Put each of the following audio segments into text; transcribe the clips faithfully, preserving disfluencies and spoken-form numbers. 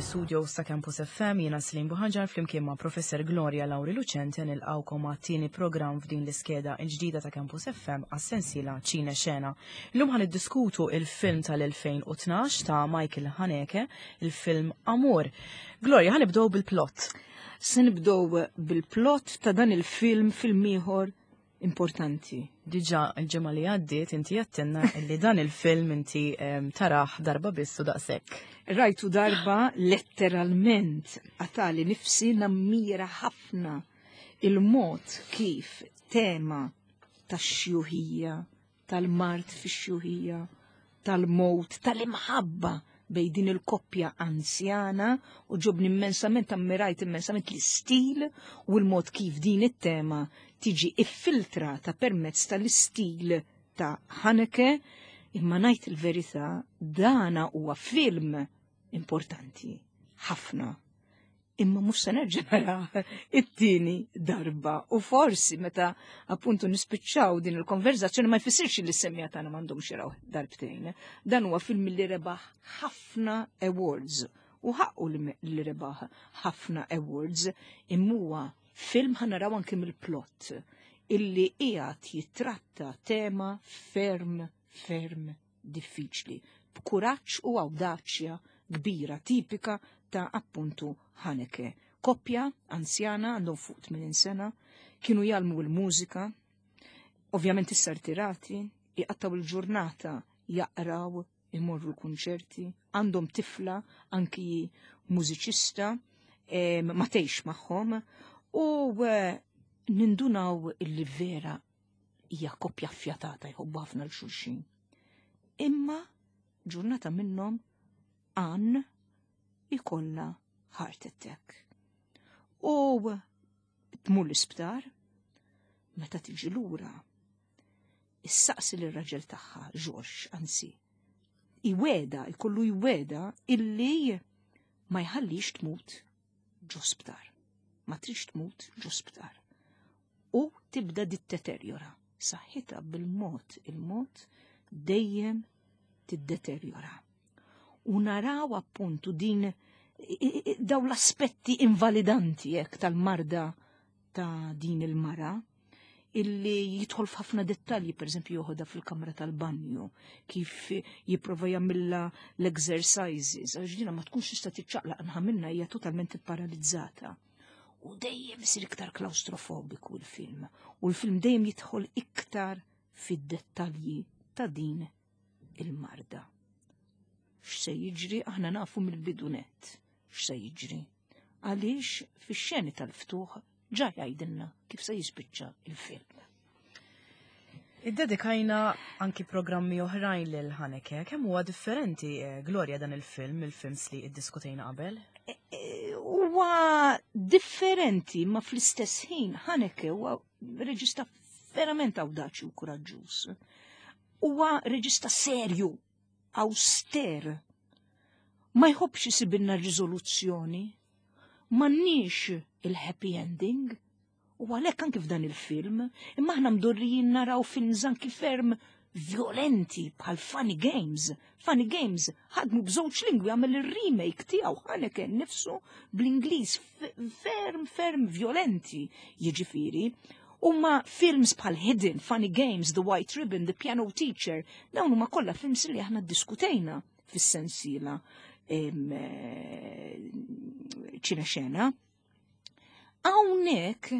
Fl-istudio ta' Campus F M jiena Slim Buħanġar flimkien ma' Professor Gloria Lauri Lucente nilqawkom għat-tieni programm f'din l-iskeda l-ġdida ta' Campus F M għas-sensiela Ċine Xena. Illum ħa niddiskutu il-film tal-elfejn u tnax ta' Michael Haneke, il-film Amour. Gloria, ħa nibdew bil-plot. Se nibdew bil-plot ta' dan il-film, film ieħor importanti. Diġà il-ġimgħa li għaddiet inti għedtilna li dan il-film inti em, tarah darba biss u daqshekk. Rajtu darba, letteralment għatali nifsi. Nammira ħafna il-mod kif tema tax-xjuħija, tal-mard fix-xjuħija, tal-mowt, tal-imħabba bejn din il-koppja anzjana u għoġobni immensament, ammirajt immensament l-istil u l-mod kif din it-tema tiġi iffiltrata permezz tal-istil ta' Haneke, imma ngħid il-verità, dana huwa film importanti ħafna. Imma mhux se nerġa' nara it-tieni darba u forsi meta appuntu nispiċċaw din il-konverzazzjoni ma jfissirx li s-semmiegħa tagħna m'għandhomx jaraw darbtejn. Dan huwa film li rebaħ ħafna awards u ħaqqu li rebaħ ħafna awards, imma huwa film, ħa naraw anke mill-plot, illi qiegħed jitratta tema ferm ferm diffiċli b'kuraġġ u awdaċja kbira tipika ta' appuntu Haneke. Koppja anzjana, għandhom fuq tmenin sena, kienu jgħallmu l-mużika, ovvjament issa rtirati, jqattaw il-ġurnata jaqraw, imorru l-kunċerti, għandhom tifla anki mużiċista, em, ma tgħix magħhom, u eh, nindunaw illi vera hija koppja fjatata, jħobbu ħafna 'l xulxin. Imma ġurnata minnhom Anne ikollha heart attack. U tmur l-isptar, meta tiġi lura, issaqsi l-raġel tagħha, George, anzi, iwegħedha, ikollu jwegħedha illi ma jħallix tmut ġo sptar. Ma tridx tmut ġo sptar. U tibda tiddeterjora. Saħħitha bil-mod il-mod dejjem tiddeterjora. U naraw appuntu din daw l-aspetti invalidanti jekk tal-marda ta' din il-mara illi jidħol f'ħafna dettalji, per eżempju joħodha fil-kamra tal-banju, kif jipprova jagħmilha l-exercises, għax dina ma tkunx tista' tiċċaqlaq naħa minnha, hija totalment paralizzata. U dejjem isir iktar klaustrofobiku l-film, u l-film dejjem jidħol iktar fid-dettalji ta' din il-marda. X'se jiġri? Aħna nafu mill-bidu nett x'se jiġri. Għaliex fix-xeni tal-ftuħ ġa jgħidilna kif se jispiċċa il-film. Iddedikajna anki programmi oħrajn lil Haneke. Kemm huwa differenti, eh, Gloria, dan il-film, il-films li iddiskutejna qabel? E, huwa differenti, ma fl-istess ħin Haneke huwa reġista verament awdaċi u kuraġġuż. Huwa reġista serju, auster. Ma jħobbx isibilna riżoluzzjoni. M'għandniex il-happy ending. U għalhekk anki f'dan il-film, imma aħna mdorrijin naraw films anki ferm violenti bħal Funny Games. Funny Games ħadmu b'żewġ lingwi, għamel il-remake tiegħu Haneke nifsu bl-Ingliż, ferm ferm violenti jiġifieri. Huma films bħal Hidden, Funny Games, The White Ribbon, The Piano Teacher, dawn huma kollha films li aħna ddiskutejna fis-sensiela ċina xena. Hawnhekk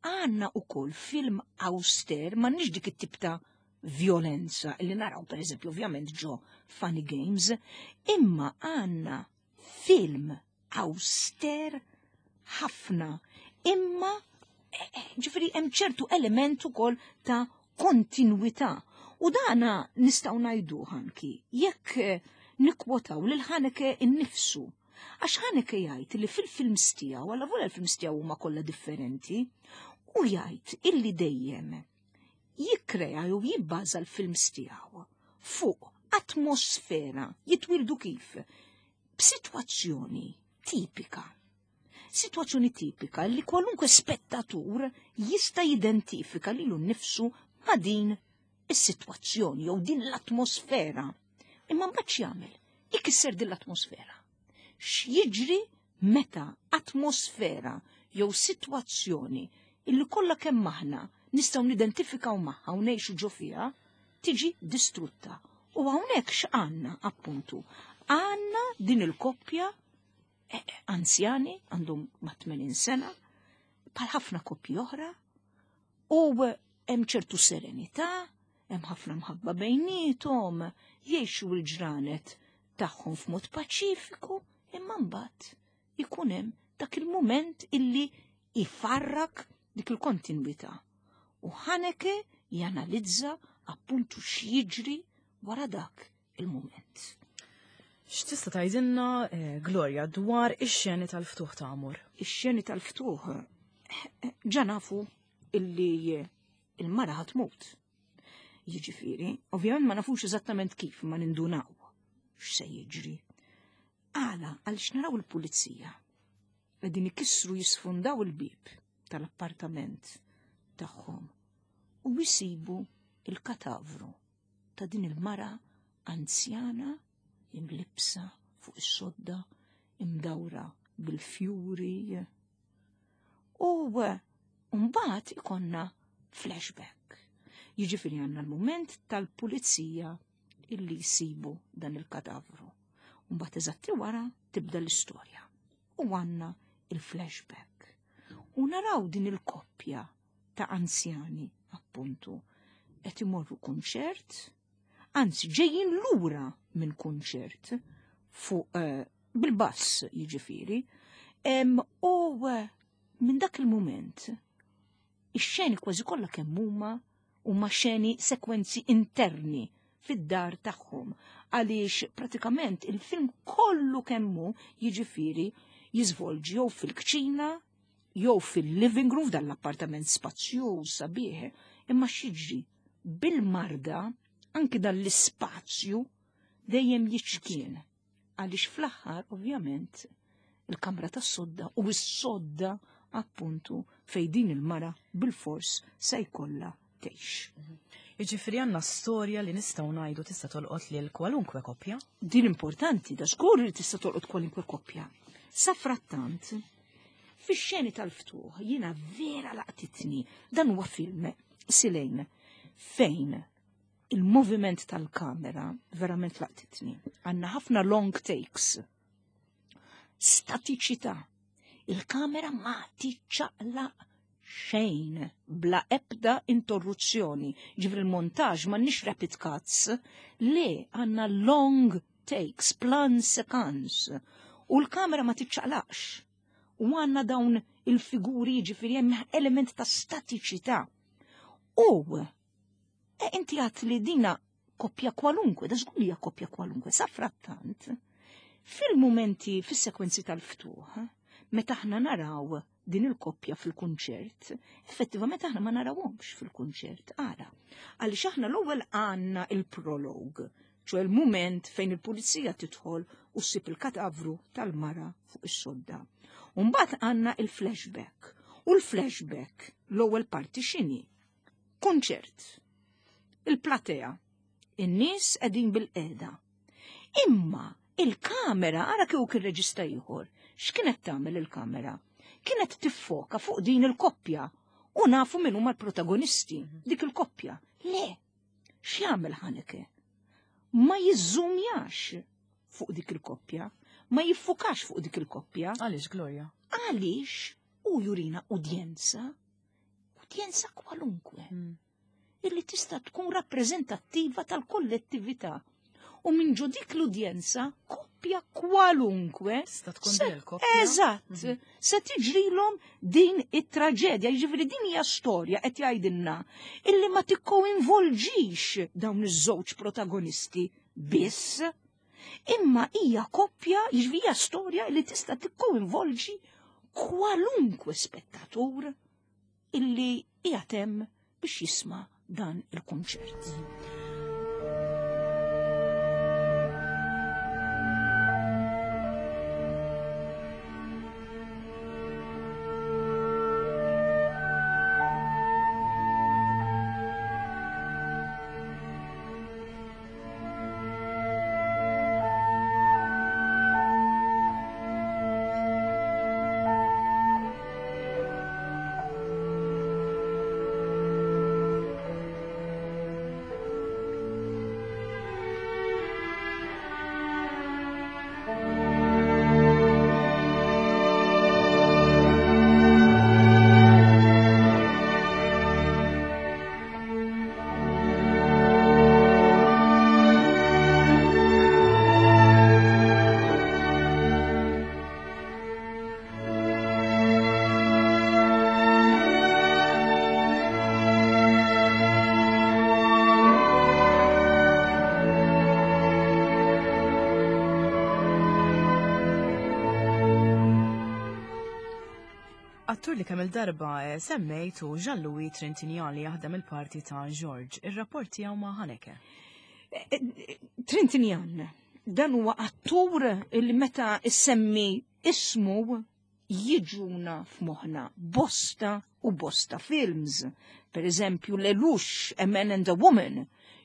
għandna ukoll film auster, m'għandniex dik it-tip ta' violenza li naraw per eżempju ovvjament ġo Funny Games, imma għandna film auster ħafna, imma eh, eh, ġifieri hemm ċertu element ukoll ta' kontinuità. U dana nistgħu ngħidu anki jekk eh, nikkwotaw lil Haneke innifsu. Għax Haneke jgħid li fil-films tiegħu, għalla vola l-films tiegħu huma kollha differenti, u jgħid illi dejjem jikkrea jew jibbaża l-films tiegħu fuq atmosfera, jitwildu kif b'sitwazzjoni tipika. Sitwazzjoni tipika li kwalunkwe spettatur jista' jidentifika lilu nnifsu ma' din is-sitwazzjoni jew din l-atmosfera. Imma mbagħad x'jagħmel? Ikisser din l-atmosfera. X'jiġri meta atmosfera jew sitwazzjoni illi kollha kemm aħna nistgħu nidentifikaw magħha u ngħixu ġo fiha tiġi distrutta. U hawnhekk x'għandna appuntu? Għandna din il-koppja eh, anzjani għandhom ma' tmenin sena, bħal ħafna koppji oħra, u hemm ċertu serenità, hemm ħafna mħabba bejniethom, jgħixu l-ġranet tagħhom f'mod paċifiku, imma mbagħad ikun hemm dak il-mument illi ifarrak dik il-kontinwità. U Haneke janalizza appuntu x'jiġri wara dak il-mument. X'tista' tgħidilna, eh, Gloria, dwar ix-xeni tal-ftuħ ta' Amor? Ix-xeni tal-ftuħ eh, ġa nafu illi il-mara ħa tmut. Jiġifieri, ovvjament ma nafux eżattament kif, ma nindunaw x'se jiġri. Għala, għaliex naraw il-pulizija. Qegħdin ikissru jisfundaw il-bib tal-appartament tagħhom u jisibu il-katavru ta' din il-mara anzjana imlibsa fuq is-sodda imdawra bil-fjuri. U mbagħad ikonna flashback. Jiġifieri għandna l-mument tal-pulizija illi jsibu dan il-katavru. Mbagħad eżatti wara tibda l-istorja. U għandna il-flashback. U naraw din il-koppja ta' anzjani, appuntu, qed imorru kunċert, anzi ġejjin lura minn kunċert fuq uh, bil-bass jiġifieri, u uh, minn dak il-moment ix-xeni kważi kollha kemm huma huma xeni sekwenzi interni fid-dar tagħhom għaliex pratikament il-film kollu kemmu jiġifieri jiżvolġi jew fil-kċina jew fil-living room f'dan l-appartament spazjuż sabiħ, imma x'jiġri bil-marda anki dan l-ispazju dejjem jiċkien għaliex fl-aħħar ovvjament il-kamra tas-sodda u s-sodda appuntu fej din il-mara bil-fors se jkollha tgħix. Jiġifieri għandna storja li nistgħu ngħidu tista' tolqot lil kwalunkwe koppja. Din importanti, da żgur li tista' tolqot kwalunkwe koppja. Sa frattant, fix-xeni tal-ftuħ jiena vera laqtitni dan huwa film Silejn fejn il-moviment tal-kamera verament laqtitni. Għandna ħafna long takes. Statiċità. Il-kamera ma tiċċaqlaq xejn bla ebda interruzzjoni. Ġifieri il-montaġ m'għandniex rapid cuts, le għandna long takes, plan séquence. U l-kamera ma tiċċaqlaqx. U għandna dawn il-figuri, ġifieri hemm element ta' statiċità. U e inti għat li dina koppja kwalunkwe, da żgur hija koppja kwalunkwe, sa frattant, fil-momenti, fis-sekwenzi tal-ftuħ, meta aħna naraw din il-koppja fil-kunċert, effettivament aħna ma narawhomx fil-kunċert, ara. Għaliex aħna l-ewwel għandna il-prolog, ċoè il-moment fejn il-pulizija tidħol u ssib il-katavru tal-mara fuq is-sodda. Mbagħad għandna il-flashback. U l-flashback l-ewwel parti x'inhi? Kunċert. Il-platea. In-nies qegħdin bil-qeda. Imma il-kamera, ara kieku kien reġista ieħor, x'kienet tagħmel il-kamera? Kienet tiffoka fuq din il-koppja u nafu min huma l-protagonisti, dik il-koppja. Le, x'jagħmel Haneke? Ma jiżżumjax fuq dik il-koppja, ma jiffukax fuq dik il-koppja. Għaliex, Gloria? Għaliex u jurina udjenza, udjenza kwalunkwe, Mm. illi tista' tkun rappreżentattiva tal-kollettività. U minn ġo dik l-udjenza, koppja kwalunkwe. Tista' tkun se- din il-koppja. Eżatt, Mhm. se tiġrilhom din it-traġedja, jiġifieri din hija storja qed jgħidilna illi ma tikkoinvolġix dawn iż-żewġ protagonisti biss, imma hija koppja, jiġifieri hija storja li tista' tikkoinvolġi kwalunkwe spettatur illi qiegħed hemm biex jisma' dan il-kunċert. Attur li kemm il-darba eh, semmejtu Jean-Louis Trintignant li jaħdem il-parti ta' George. Ir-rapport tiegħu ma' Haneke. Eh, eh, Trintignant, dan huwa attur li meta issemmi ismu jiġuna f'moħħna bosta u bosta films. Per eżempju, Lelouch, A Man and a Woman,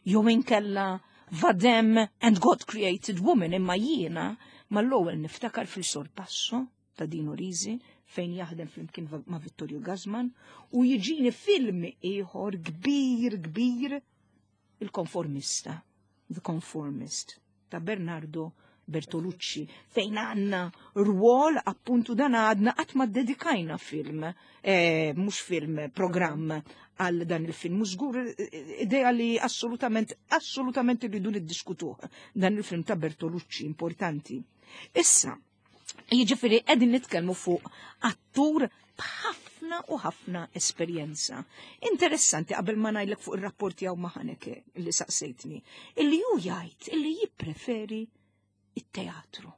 jew inkella Vadem and God Created Woman, imma jiena mal-ewwel niftakar fil-Sorpasso ta' Dino Risi fejn jaħdem flimkien ma' Vittorio Gassman u jiġini film ieħor kbir kbir il-Konformista, The Conformist ta' Bernardo Bertolucci fejn għandna rwol appuntu dan għadna qatt ma dedikajna film, eh, mhux film, programm għal dan il-film. Mhux żgur eh, idea li assolutament, assolutament irridu niddiskutuh dan il-film ta' Bertolucci importanti. Issa, jiġifieri qegħdin nitkellmu fuq attur b'ħafna u ħafna esperjenza. Interessanti qabel ma ngħidlek fuq ir-rapport tiegħu ma' Haneke li saqsejtni, illi hu jgħid illi jippreferi it-teatru.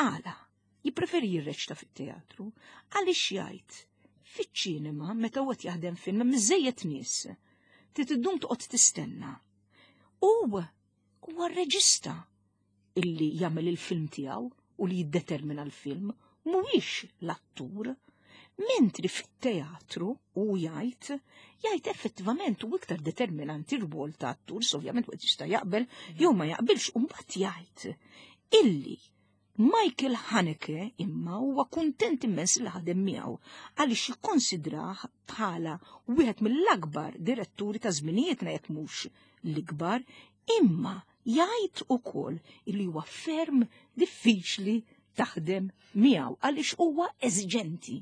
Għala, jippreferi jirreċta fit-teatru, għaliex jgħid fiċ-ċinema meta huwa jaħdem film miżejjed nies, trid iddum toqgħod tistenna. U huwa r-reġista illi jagħmel il-film tiegħu u li jiddetermina l-film mhuwiex l-attur. Mentri fit-teatru u jgħid, jgħid effettivament u iktar determinanti r-rwol ta' attur, so ovvjament wieħed jista' jaqbel jew ma jaqbilx, u mbagħad jgħid illi Michael Haneke imma huwa kuntent immens li ħadem miegħu għaliex jikkonsidrah bħala wieħed mill-akbar diretturi ta' żminijietna jekk mhux l-ikbar, imma jgħid ukoll illi huwa ferm diffiċli taħdem miegħu għaliex huwa eżiġenti.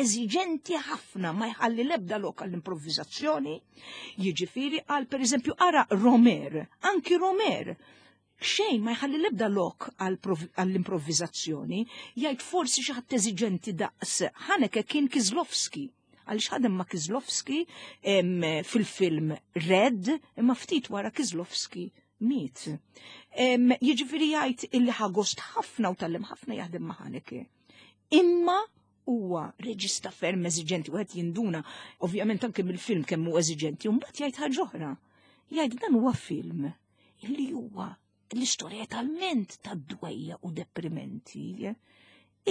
Eżiġenti ħafna, ma jħalli lebda lok għall-improvvizazzjoni. Jiġifieri għal pereżempju ara Rohmer, anki Rohmer, xejn ma jħalli lebda lok għall-improvvizazzjoni, jgħid forsi xi ħadd eżiġenti daqs Haneke kien Kieślowski, għaliex ħadem ma' Kieślowski fil-film Red, imma ftit wara Kieślowski miet. Jiġifieri jgħid illi ħa gost ħafna u tgħallem ħafna jaħdem ma' Haneke. Imma huwa reġista ferm eżiġenti, u qed jinduna ovvjament anke mill-film kemm hu eżiġenti, u mbagħad jgħid ħaġa oħra. Jgħid dan huwa film illi huwa l-istorja talment ta' dwejja u deprimenti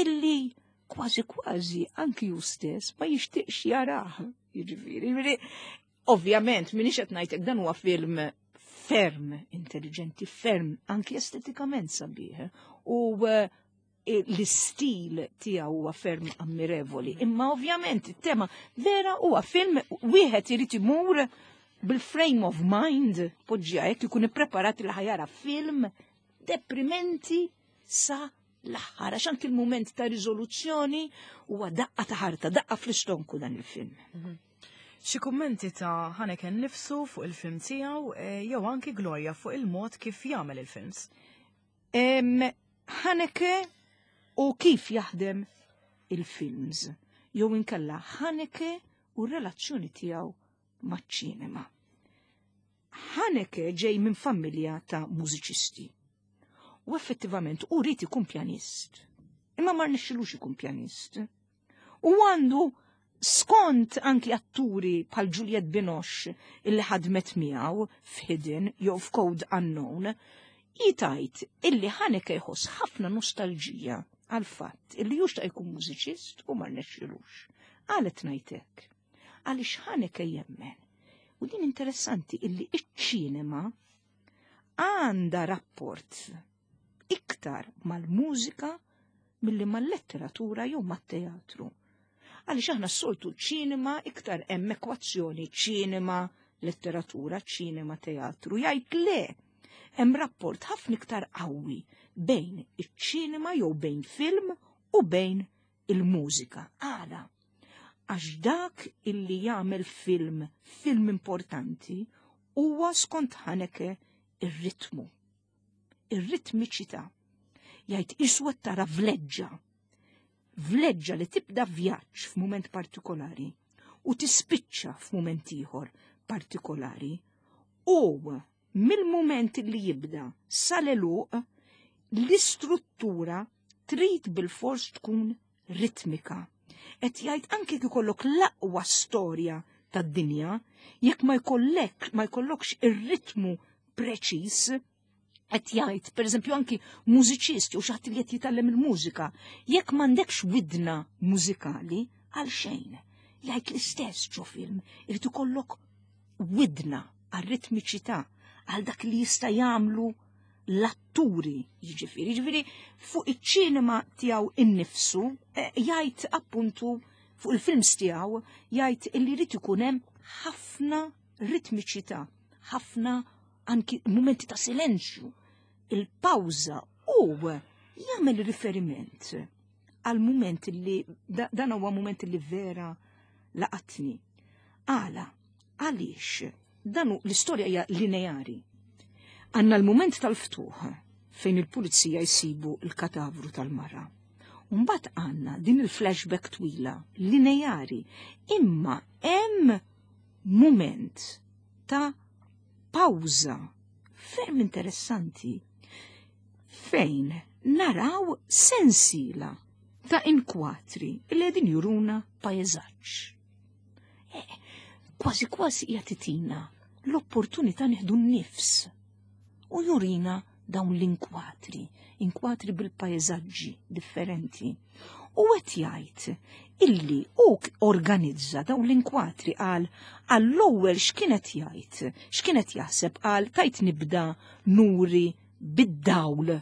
illi kważi kważi anki ju stess ma jixtieqx jarah. Jiġifieri, jiġifieri, ovvjament minix qed ngħidlek dan huwa film ferm intelligenti, ferm anki estetikament sabiħ. U eh, l-istil tiegħu huwa ferm ammirevoli. Imma ovvjament it-tema vera huwa film wieħed irid imur bil-frame of mind poġġija hekk ikun ippreparat li ħa jara film deprimenti sa l-aħħar, għax anki il-moment ta' riżoluzzjoni huwa daqqa ta' ħarta, daqqa fl-istonku dan il-film. Xi kummenti ta' Haneke nifsu fuq il-film tiegħu eh, jew anki Gloria fuq il-mod kif jagħmel il-films. Em, Haneke u kif jaħdem il-films, jew inkella Haneke u r-relazzjoni tiegħu maċ-ċinema. Haneke ġej minn familja ta' mużiċisti. U effettivament u ried ikun pjanist. Imma ma rnexxilux ikun pjanist. U għandu skont anki atturi bħal Juliette Binoche illi ħadmet miegħu f'Hidden jew f'Code Unknown, jgħid illi Haneke jħoss ħafna nostalġija għal fatt illi jux jkun mużiċist u ma rnexxilux. Għalet ngħidlek. Għaliex Haneke jemmen. U din interessanti illi iċ-ċinema għandha rapport iktar mal-mużika milli mal-letteratura jew mat-teatru. Għaliex aħna s-soltu ċinema iktar hemm ekwazzjoni ċinema, letteratura, ċinema, teatru. Jgħid le, hemm rapport ħafna iktar qawwi bejn iċ-ċinema jew bejn film u bejn il-mużika. Għala, għax dak illi jagħmel film, film importanti, huwa skont Haneke ir-ritmu, ir-ritmiċità. Jgħid iswa tara vleġġa, vleġġa li tibda vjaġġ f'mument partikolari u tispiċċa f'mument ieħor partikolari u mill-mument li jibda sal-għeluq l-istruttura trid bil-fors tkun ritmika. Qed jgħid anke jekk ikollok l-aqwa storja tad-dinja, jekk ma jkollek ma jkollokx ir-ritmu preċiż, qed jgħid, pereżempju anki mużiċisti u xi ħadd li qed jitgħallem il-mużika, jekk m'għandekx widna mużikali, għal xejn. Jgħid l-istess ġo film, irid ikollok widna għal ritmiċità, għal dak li jista' jagħmlu l-atturi, jiġifieri, jiġifieri fuq iċ-ċinema tiegħu innifsu, eh, jgħid appuntu fuq il-films tiegħu jgħid illi jrid ikun hemm ħafna ritmiċità, ħafna anki mumenti ta' silenzju, il-pawża u jagħmel riferiment għal mument li dan huwa mument li vera laqatni. Għala, għaliex dan l-istorja hija lineari. Għandna l-mument tal-ftuħ fejn il-pulizija jsibu l-katavru tal-mara. Mbagħad għandna din il-flashback twila, lineari, imma hemm mument ta' pawża ferm interessanti fejn naraw sensila ta' inkwatri li qegħdin juruna pajjeżaġġ. Eh, kważi kważi jagħtina l-opportunità nieħdu n-nifs u jurina dawn l-inkwatri, inkwatri bil-pajjeżaġġi differenti. U qed jgħid illi hu organizza dawn l-inkwatri għal għall-ewwel x'kienet jgħid, x'kienet jaħseb għal tajt nibda nuri bid-dawl,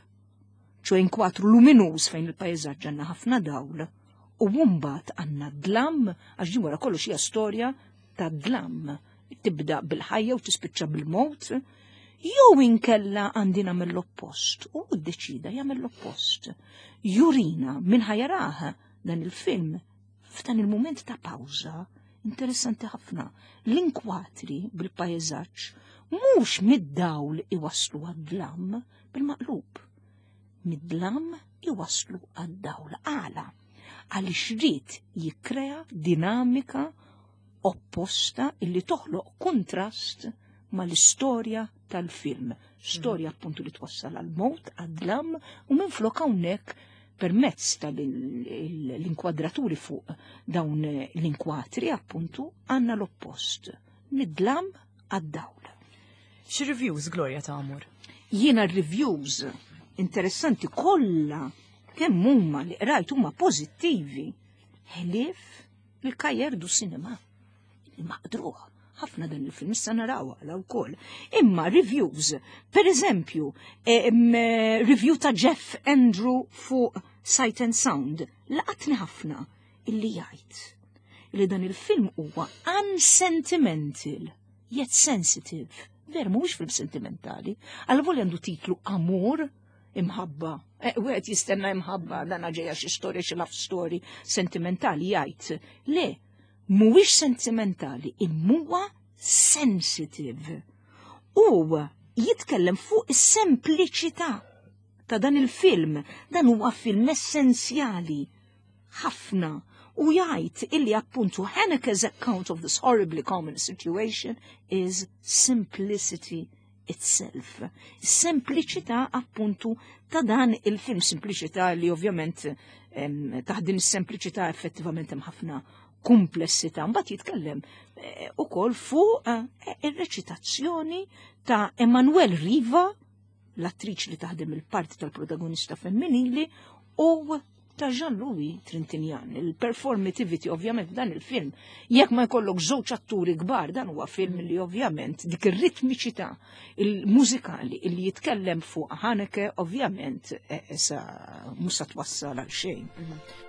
ċo inkwatru luminuż fejn il-pajjeżaġġ għandna ħafna dawl, u mbagħad għandna dlam, għax din wara kollox hija storja ta' dlam, tibda bil-ħajja u tispiċċa bil-mowt, jew inkella għandi nagħmel l-oppost, u ddeċida jagħmel l-oppost. Jurina min ħa jarah dan il-film f'dan il-mument ta' pawża interessanti ħafna. L-inkwatri bil-pajjeżaġġ mhux mid-dawl iwaslu għad-dlam, bil-maqlub. Mid-dlam iwaslu għad-dawl. Għala, għaliex ried jikkrea dinamika opposta illi toħloq kontrast mal-istorja tal-film. Storja appuntu li twassal għal-mowt, għad-dlam, u minn flok hawnhekk permezz tal-inkwadraturi fuq dawn l-inkwatri appuntu għandna l-oppost. Mid-dlam għad-dawl. Xi reviews, Gloria, ta' Amor? Jiena reviews interessanti kollha kemm huma li qrajt huma pożittivi. Ħlief il-Cahiers du Cinéma. Maqdruh ħafna dan il-film, issa naraw għala wkoll. Imma reviews, per eżempju, review ta' Jeff Andrew fuq Sight and Sound, laqatni ħafna illi jgħid li dan il-film huwa unsentimental, yet sensitive. Ver, mhuwiex film sentimentali. Għal volja għandu titlu Amor, imħabba. E, wieħed jistenna imħabba, dan ġejja xi storja, xi love story sentimentali, jgħid. Le, mhuwiex sentimentali, imma sensitive. U jitkellem fuq is-sempliċità ta' dan il-film. Dan huwa film essenzjali ħafna u jgħid illi appuntu Haneke's account of this horribly common situation is simplicity itself. Sempliċità appuntu ta' dan il-film, sempliċità li ovvjament taħt din is-sempliċità effettivament hemm ħafna komplessità. Mbagħad jitkellem eh, ukoll fuq eh, ir-reċitazzjoni ta' Emmanuelle Riva, l-attriċi li taħdem il-parti tal-protagonista femminili, u ta' Jean-Louis Trintignant. Il-performativity ovvjament dan il-film, jekk ma jkollok żewġ atturi kbar, dan huwa film li ovvjament dik ir-ritmiċità il-mużikali li jitkellem fuq Haneke ovvjament eh, sa mhux sa twassal għal xejn. Mhm.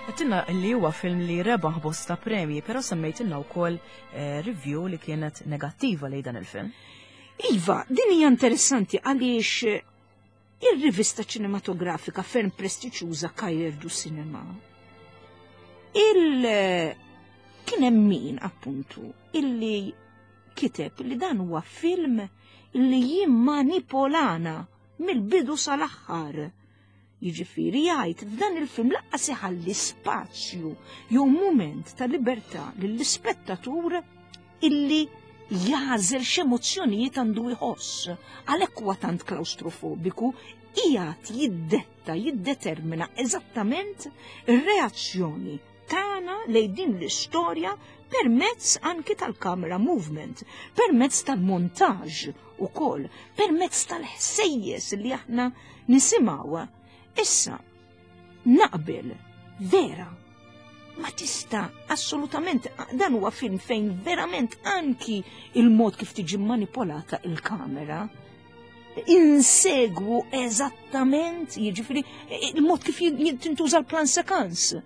Għedtilna li huwa film li rebaħ bosta premji, però semmejtilna wkoll eh, review li kienet negattiva lejn dan il-film. Iva, din hija interessanti għaliex eh, ir-rivista ċinematografika ferm prestiġjuża Cahiers du Cinema. Il eh, kien hemm min appuntu illi kiteb li dan huwa film illi jimmanipolana mill-bidu sal-aħħar. Jiġifieri jgħid f'dan il-film lanqas iħalli spazju jew mument ta' libertà lill-ispettatur illi jagħżel x'emozzjonijiet għandu jħoss. Għalhekk huwa tant klaustrofobiku, qiegħed jiddetta, jiddetermina eżattament ir-reazzjoni tagħna lejn din l-istorja permezz anki tal-camera movement, permezz tal-montaġġ ukoll, permezz tal-ħsejjes li aħna nisimgħu. Issa, naqbel, vera, ma tista assolutament, dan huwa film fejn verament anki il-mod kif tiġi manipolata il-kamera, insegwu eżattament, jiġifieri, il-mod kif tintuża l-plan séquence,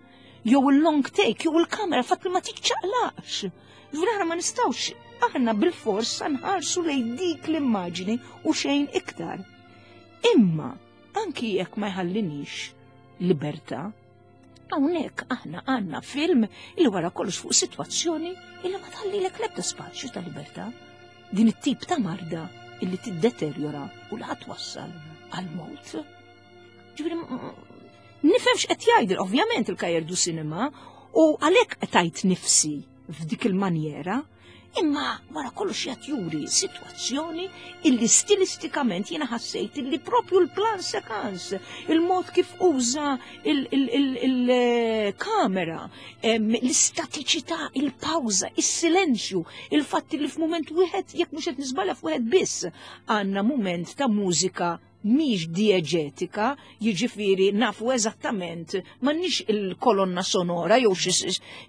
jew il-long take, jew il-kamera, fatt li ma tiċċaqlaqx. Ġifieri aħna ma nistgħux, aħna bil-fors nħarsu lejn dik l-immaġini u xejn iktar. Imma, anki jekk ma jħallinix libertà, hawnhekk aħna għandna film li wara kollox fuq sitwazzjoni illi ma tħallilek l-ebda spazju ta' libertà. Din it-tip ta' marda illi tiddeterjora u li twassal għal-mewt. Ġifieri, nifhem x'qed jgħid ovvjament il-Cahiers du Cinema u għalhekk qed nifsi f'dik il-manjera, imma wara kollox qed juri sitwazzjoni illi stilistikament jiena ħassejt illi propju l-plan séquence, il-mod kif uża il-kamera, l-istatiċità, il-pawża, il-silenzju, il-fatt li f'mument wieħed jekk mhux qed niżbalja f'wieħed biss għandna mument ta' mużika mhix dieġetika, jiġifieri nafu eżattament m'għandniex il-kolonna sonora jew xi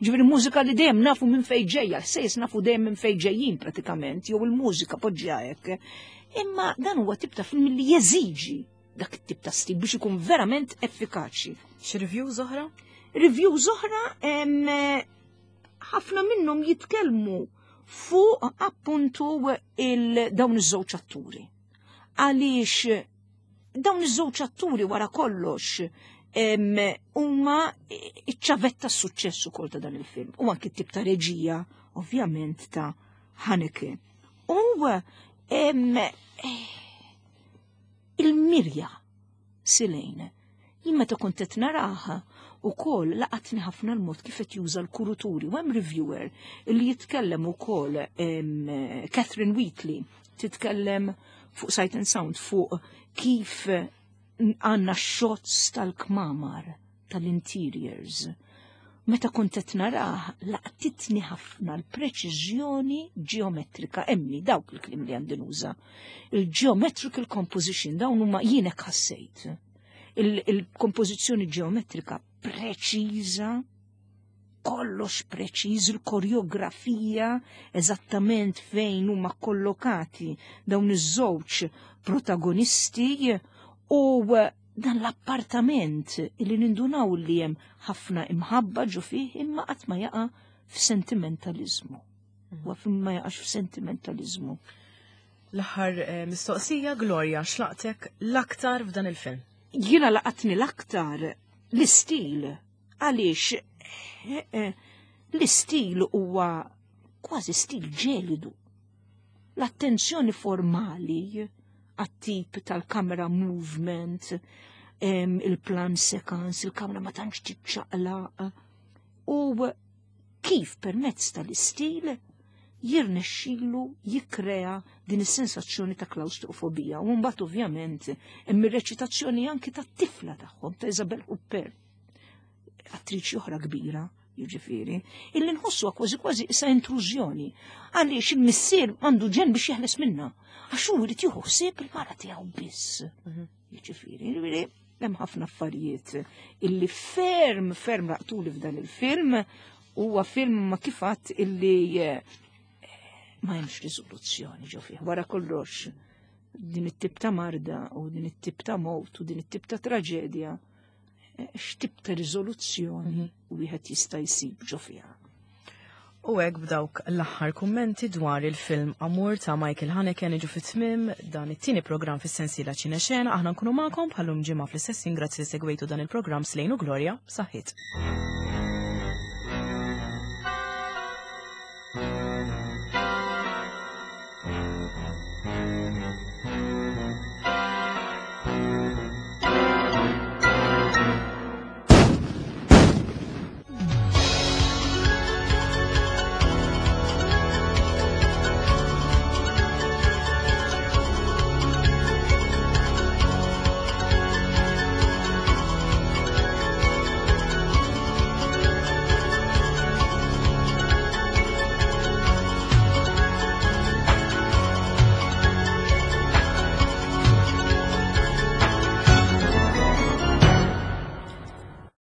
ġifieri mużika li dejjem nafu minn fejn ġejja, l-ħsejjes nafu dejjem minn fejn ġejjin pratikament, jew il-mużika poġġja hekk. Imma dan huwa tip ta' film li jeżiġi dak it-tip ta' stil biex ikun verament effikaċi. Xi reviews oħra? Reviews oħra ħafna minnhom jitkellmu fuq appuntu il-dawn iż-żewġ atturi. Għaliex dawn iż-żewġ atturi wara kollox huma iċ-ċavetta s-suċċess ukoll ta' dan il-film. U anki tip ta' reġija, ovvjament, ta' Haneke. U il-mirja Silejn, jien meta kont qed naraha ukoll laqatni ħafna l-mod kif qed juża l-kuruturi. U hemm reviewer li jitkellem ukoll, Catherine Wheatley, titkellem fuq Sight and Sound fuq kif għandna shots tal-kmamar, tal-interiors. Meta kont qed narah, laqtitni ħafna l-preċiżjoni ġeometrika, emmi dawk il-kliem li għandi nuża. Il-geometrical composition, dawn huma jien hekk ħassejt. Il-kompożizzjoni ġeometrika preċiża, kollox preċiż, il-koreografija eżattament fejn huma kollokati dawn iż-żewġ protagonisti u dan l-appartament li nindunaw li hemm ħafna imħabba ġo fih imma qatt ma jaqa' f'sentimentalizmu. Huwa ma jaqax f'sentimentalizmu. L-aħħar eh, mistoqsija, Gloria, x'laqtek l-aktar f'dan il-film? Jiena laqatni l-aktar l-istil, għaliex eh, eh, l-istil huwa kważi stil ġelidu. L-attenzjoni formali għat-tip tal-camera movement, il-plan séquence, il-kamera ma tantx tiċċaqlaq. U kif permezz tal-istil jirnexxilu jikkrea din is-sensazzjoni ta' klaustrofobija. U mbagħad ovvjament hemm ir-reċitazzjoni anki tat-tifla tagħhom ta' Isabelle Huppert, attriċi oħra kbira, jiġifieri, illi nħossu kważi kważi issa intrużjoni għaliex il-missier għandu ġen biex jeħles minna. Għax hu jrid jieħu ħsieb il-mara tiegħu biss. Mhm. Jiġifieri, jiġifieri, hemm ħafna affarijiet illi ferm ferm laqtuli f'dan il-film. Huwa film ma kifat illi eh, ma hemmx riżoluzzjoni ġo fih. Wara kollox din it-tip ta' marda u din it-tip ta' mewt u din it-tip ta' traġedja eh, x'tip ta' riżoluzzjoni wieħed jista' jsib ġo fiha. U hekk b'dawk l-aħħar kummenti dwar il-film Amour ta' Michael Haneke niġu fit-tmim dan it-tieni programm fis-sensiela Ċinexena. Aħna nkunu magħkom bħal-lum ġimgħa fl-istess ħin. Grazzi li segwejtu dan il-programm. Slejnu Gloria, saħħit.